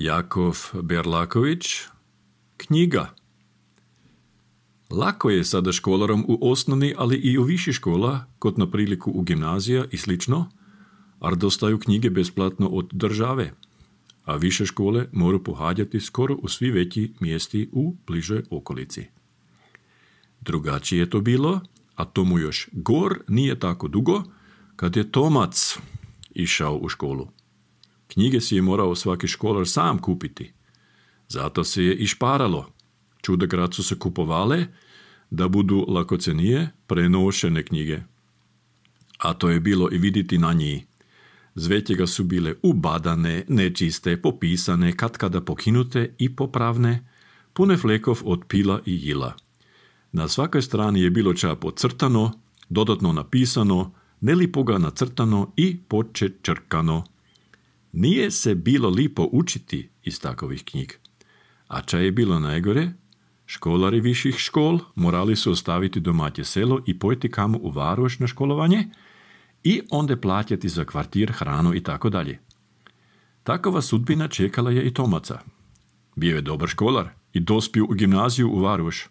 Jakov Berlaković, knjiga. Lako je sada školarom u osnovni, ali i u viši škola, kot na priliku u gimnazija i slično, ar dostaju knjige besplatno od države, a više škole moraju pohađati skoro u svi veći mjesti u bližoj okolici. Drugačije je to bilo, a tomu još gor nije tako dugo, kad je Tomac išao u školu. Knjige si je morao svaki školar sam kupiti. Zato se je i šparalo. Čudagrad su se kupovale da budu lakocenije prenošene knjige. A to je bilo i vidjeti na njih. Zvetjega su bile ubadane, nečiste, popisane, katkada pokinute i popravne, pune flekov od pila i jila. Na svakoj strani je bilo ča podcrtano, dodatno napisano, nelipoga nacrtano i počečrkano. Nije se bilo lipo učiti iz takovih knjig. A ča je bilo najgore? Školari viših škol morali su ostaviti domaće selo i pojeti kamo u Varoš na školovanje i onda plaćati za kvartir, hranu i tako dalje. Takova sudbina čekala je i Tomaca. Bio je dobar školar i dospio u gimnaziju u Varoš.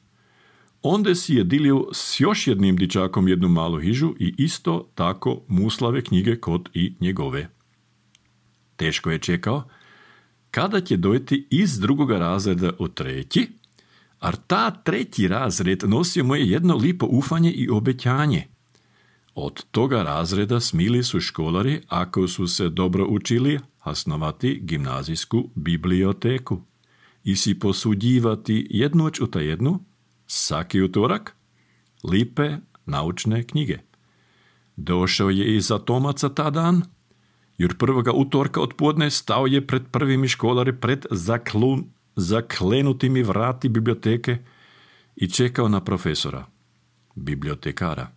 Onda si je dilio s još jednim dičakom jednu malu hižu i isto tako muslave knjige kod i njegove. Teško je čekao kada će dojeti iz drugoga razreda u treći, a ta treći razred nosio mu je jedno lipo ufanje i obećanje. Od toga razreda smili su školari, ako su se dobro učili, osnovati gimnazijsku biblioteku i si posuđivati jednoć u jednu, svaki utorak, lipe naučne knjige. Došao je i za Tomaca ta dan, jer prvoga utorka odpodne stao je pred prvimi školari pred zaklenutimi vrati biblioteke i čekao na profesora, bibliotekara.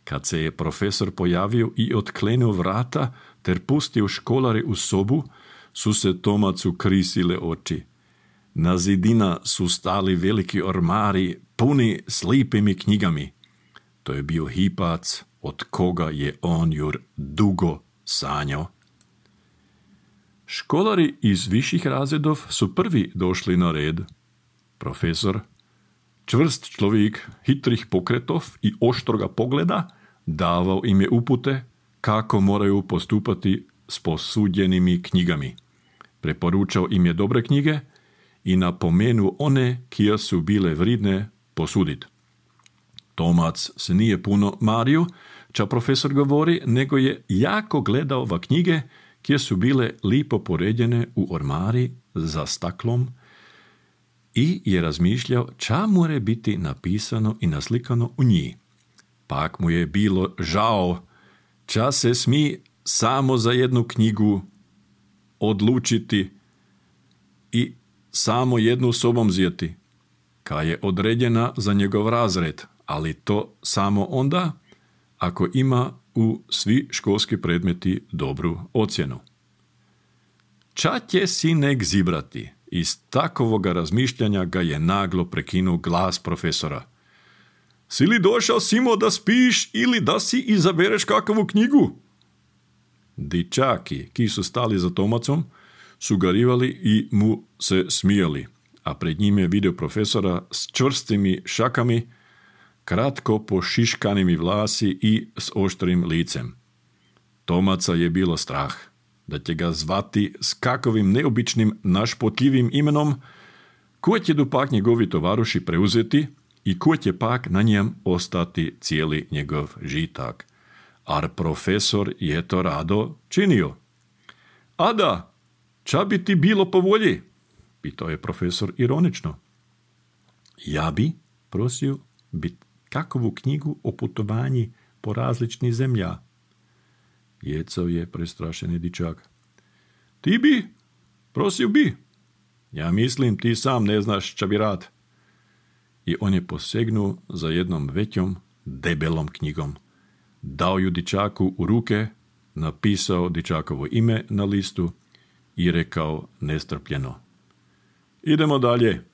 Kad se je profesor pojavio i otklenuo vrata ter pustio školare u sobu, su se Tomacu krisile oči. Na zidina su stali veliki ormari puni s lipimi knjigami. To je bio hipac od koga je on jur dugo sanjao. Školari iz viših razredov su prvi došli na red. Profesor, čvrst človek hitrih pokretov i oštroga pogleda, davao im je upute kako moraju postupati s posuđenimi knjigami. Preporučao im je dobre knjige i napomenuo one kije su bile vridne posudit. Tomac se nije puno mario, ča profesor govori, nego je jako gledao va knjige kje su bile lipo poredjene u ormari za staklom i je razmišljao ča more biti napisano i naslikano u njih. Pak mu je bilo žao, ča se smi samo za jednu knjigu odlučiti i samo jednu sobom zjeti, ka je određena za njegov razred, ali to samo onda ako ima u svi školski predmeti dobru ocjenu. Ča će si nek zibrati? Iz takovoga razmišljanja ga je naglo prekinuo glas profesora. Si li došao Simo da spiš ili da si izabereš kakavu knjigu? Dičaki, ki su stali za Tomacom, su garivali i mu se smijali, a pred njim je vidio profesora s čvrstimi šakami, kratko pošiškanimi vlasi i s oštrim licem. Tomaca je bilo strah da će ga zvati s kakovim neobičnim našpotljivim imenom, ko će dopak njegovi tovaruši preuzeti i ko će pak na njem ostati cijeli njegov žitak. Ar profesor je to rado činio. A da, ča bi ti bilo po volji? Pitao je profesor ironično. Ja bi prosio bit kakovu knjigu o putovanji po različnih zemlja. Jecao je prestrašeni dičak. Ti bi? Prosio bi. Ja mislim ti sam ne znaš ča bi rad. I on je posegnuo za jednom većom, debelom knjigom. Dao ju dičaku u ruke, napisao dičakovo ime na listu i rekao nestrpljeno. Idemo dalje.